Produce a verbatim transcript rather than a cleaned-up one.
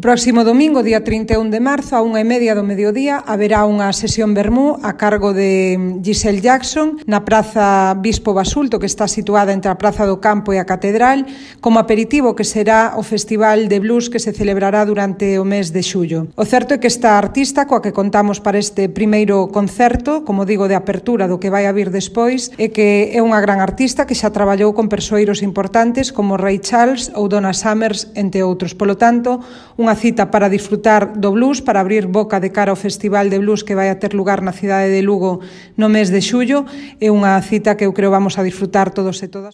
próximo domingo, día trinta e un de marzo, a unha e media do mediodía, haberá unha sesión vermú a cargo de Giselle Jackson na Praza Bispo Basulto, que está situada entre a Praza do Campo e a Catedral, como aperitivo que será o Festival de Blues que se celebrará durante o mes de xullo. O certo é que esta artista, coa que contamos para este primeiro concerto, como digo, de apertura do que vai a vir despois, é que é unha gran artista que xa traballou con persoeiros importantes como Ray Charles ou Donna Summers, entre outros. Polo tanto, unha cita para disfrutar do blues, para abrir boca de cara ao Festival de Blues que vai a ter lugar na cidade de Lugo no mes de xullo. É unha cita que eu creo vamos a disfrutar todos e todas.